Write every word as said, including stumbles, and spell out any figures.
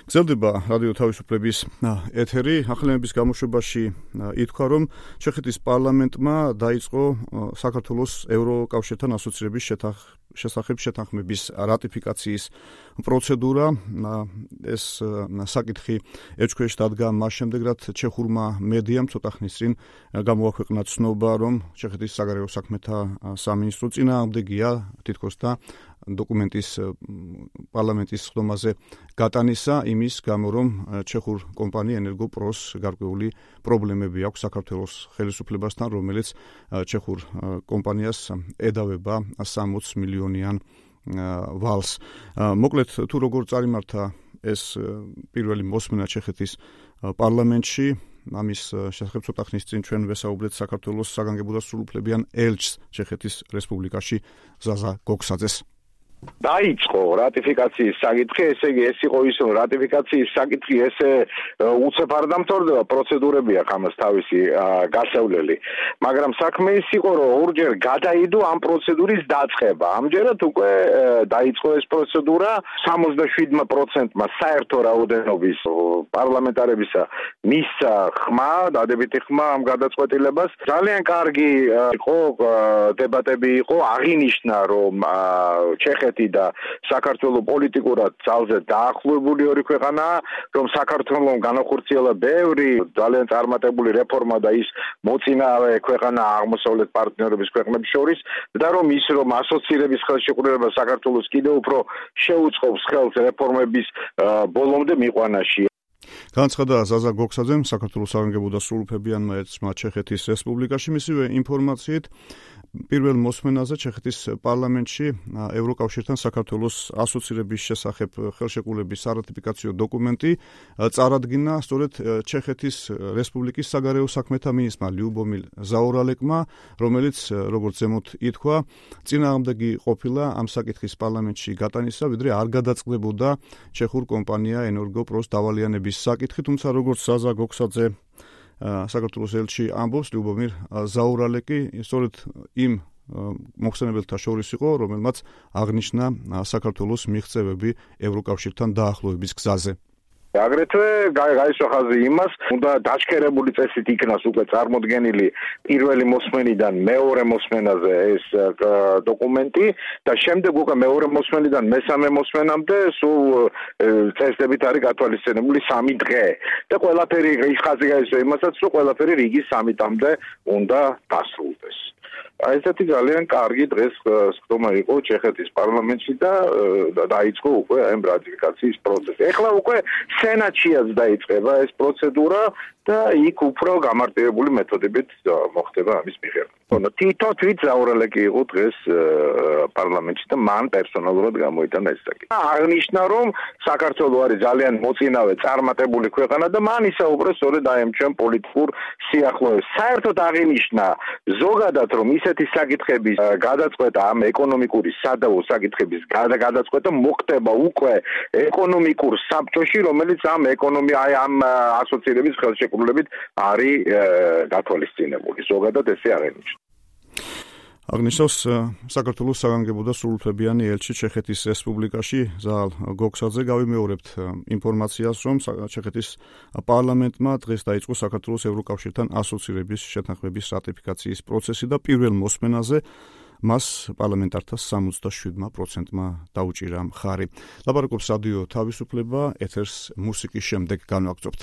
გრძელდება რადიო თავისუფლების ეთერი. ახალების გამოშვებაში ითქვა, რომ ჩეხეთის პარლამენტმა დაიწყო საქართველოს ევროკავშირთან ასოცირების შესახებ შეთანხმების რატიფიკაციის პროცედურა. ეს საკითხი ეჭქვეშ დადგა მას შემდეგ, რაც ჩეხურმა მედიამ ცოტა ხნის წინ გამოაქვეყნა ცნობა, რომ ჩეხეთის საგარეო საქმეთა სამინისტრო წინააღმდეგია თითქოს და დოკუმენტის პარლამენტის ხდომაზე გატანისა იმის გამო, რომ ჩეხურ კომპანია ენერგოპროს გარკვეული პრობლემები აქვს საქართველოს ხელისუფლებასთან, რომელიც ჩეხურ კომპანიას ედავება სამოცი მილიონიან ვალს. მოკლედ, თუ როგორ წარიმართა ეს პირველი მოსმენა ჩეხეთის პარლამენტში, ამის შესახებ ცოტა ხნის წინ ჩვენ ვესაუბრეთ საქართველოს საგანგებო და სრულუფლებიან ელჩს ჩეხეთის რესპუბლიკაში ზაზა გოქსაძეს. დაიწყო რატიფიკაციის საკითხი, ესე იგი ეს იყო ის, რომ რატიფიკაციის საკითხი ესე უცებ არ დამთავრდება, პროცედურები აქვს ამას თავისი გასავლელი. მაგრამ საქმე ის იყო, რომ ორჯერ გადაიდო ამ პროცედურის დაწყება. ამჯერად უკვე დაიწყო ეს პროცედურა სამოცდაშვიდმა პროცენტმა საერთო რაოდენობის პარლამენტარებისა მისცა ხმა, დადებითი ხმა ამ გადაწყვეტილებას. ძალიან კარგი იყო დებატები იყო, აღინიშნა, რომ ჩეხეთი და საქართველოს პოლიტიკურად ძალზე დაახლოებული ორი ქვეყანაა, რომ საქართველოს განახორციელა ბევრი ძალიან წარმატებული რეფორმა და ის მოწინავე ქვეყანა აღმოსავლეთ პარტნიორების ქვეყნების შორის და რომ ის რომ ასოცირების ხელშეკრულება საქართველოს კიდევ უფრო შეუწყობს ხელს რეფორმების ბოლომდე მიყვანაში. განცხადა ზაზა გოქსაძემ საქართველოს საგანგებო და სრულუფლებიანმა ელჩმა ჩეხეთის რესპუბლიკაში. მისივე ინფორმაციით, პირველ მოსმენაზე ჩეხეთის პარლამენტში ევროკავშირთან საქართველოს ასოცირების შესახებ ხელშეკრულების სარატიფიკაციო დოკუმენტი წარადგინა სწორედ ჩეხეთის რესპუბლიკის საგარეო საქმეთა მინისტრმა ლიუბომილ ზაურალეკმა, რომელიც, როგორც ზემოთ ითქვა, წინააღმდეგი ყოფილა ამ საკითხის პარლამენტში გატანისა, ვიდრე არ გადაწყდებოდა ჩეხურ კომპანია ენერგოპროს დავალიანების საკითხი, თუმცა როგორც ზაზა გოქსაძე საქართველოს ელჩი ამბობს, ლიუბომილ ზაურალეკი სწორედ იმ მოხსენებელთა შორის იყო, რომელმაც აღნიშნა საქართველოს მიღწევები ევროკავშირთან დაახლოების გზაზე. აგრეთვე გაისვა ხაზი იმას, უნდა დაჩქერებული წესით იქნას უკვე წარმოდგენილი პირველი მოსმენიდან მეორე მოსმენაზე ეს დოკუმენტი და შემდეგ უკვე მეორე მოსმენიდან მესამე მოსმენამდე სულ წესდებით არის გათვალისწინებული სამი დღე. და ყველაფერი ის ხაზი გაისვა იმასაც, რომ ყველაფერი რიგის სამიდამდე უნდა დასრულდეს. ესეთი ძალიან კარგი დღეს ხდომა იყო ჩეხეთის პარლამენტში და დაიწყო უკვე ამ რატიფიკაციის პროცესი. ეხლა უკვე სენატშიაც დაიწყება ეს პროცედურა და იქ უფრო გამარტივებული მეთოდებით მოხდება ამის მიღება. თითო თვით ზაურალეკი იყო დღეს პარლამენტში და მან პერსონალურად გამოიტანა ეს საკითხი. აღნიშნა, რომ საქართველო არის ძალიან მოწინავე წარმატებული ქვეყანა და მან ისაუბრა სწორედ აი ამ ჩვენ პოლიტიკურ სიახლოვეს. საერთოდ აღინიშნა ზოგადად, რომ ისეთი საკითხების გადაწყვეტა, ამ ეკონომიკური სადავო საკითხების გადაწყვეტა მოხდება უკვე ეკონომიკურ საბჭოში, რომელიც ამ ეკონომია აი ამ ასოცირების ხელშეკრულებით არის გათვალისწინებული. ზოგადად ესე აღინიშნა. აღნიშნავს საქართველოს საგანგებო და სრულუფლებიანი ელჩი ჩეხეთის რესპუბლიკაში ზაალ გოქსაძე. გავიმეორებთ ინფორმაციას, რომ ჩეხეთის პარლამენტმა დღეს დაიწყო საქართველოს ევროკავშირთან ასოცირების შეთანხმების რატიფიკაციის პროცესი და პირველ მოსმენაზე მას პარლამენტართა სამოცდაშვიდმა პროცენტმა დაუჭირა მხარი. ლაპარაკობს რადიო თავისუფლება, ეთერს მუსიკის შემდეგ განვაგრძობთ.